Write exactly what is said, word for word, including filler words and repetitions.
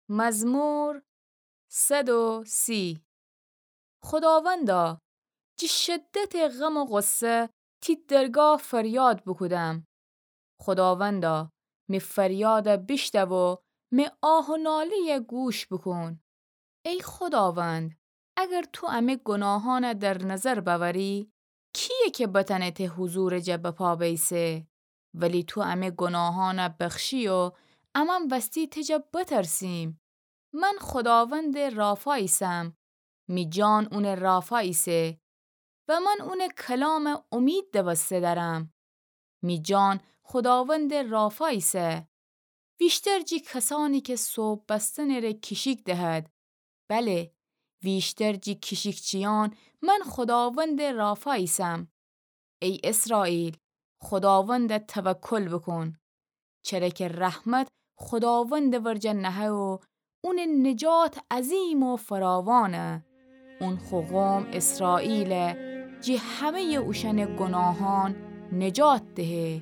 مزمور صد و سی. خوداوندا، جٚه شدتٚ غم و غصه تی درگاه فریاد بوکودم. خوداوندا، می فریاد بیشنو و می آه و ناله‌یَ گوش بوکون. ای خوداوند، اگر تو امه گناهانَ در نظر بأوری، کییه کی بتأنه ته حضورٚ جا بپا بئیسه؟ ولی تو امه گناهانَ بخشی و امأن وستی ته جا بترسیم. من خوداوندٚ رافا ایسم، می جان اونٚ رافا ایسه و من اونٚ کلامَ امید دوسته دأرم. می جان خوداوندٚ رافا ایسه. ویشتر جٚه کسأنی کی ثوب بستنٚ ره کیشیک دهد، بله، ویشتر جٚه کیشیکچیأن من خوداوندٚ رافا ایسم. ای اسرائیل، خوداوندَ توکل بوکون. چره کی رحمت خوداوندٚ ورجه نهه و اونٚ نجات عظیم و فراوانه. اون خو قوم اسرائیلَ جٚه همه‌یٚ اوشأنٚ گناهأن نجات دهه.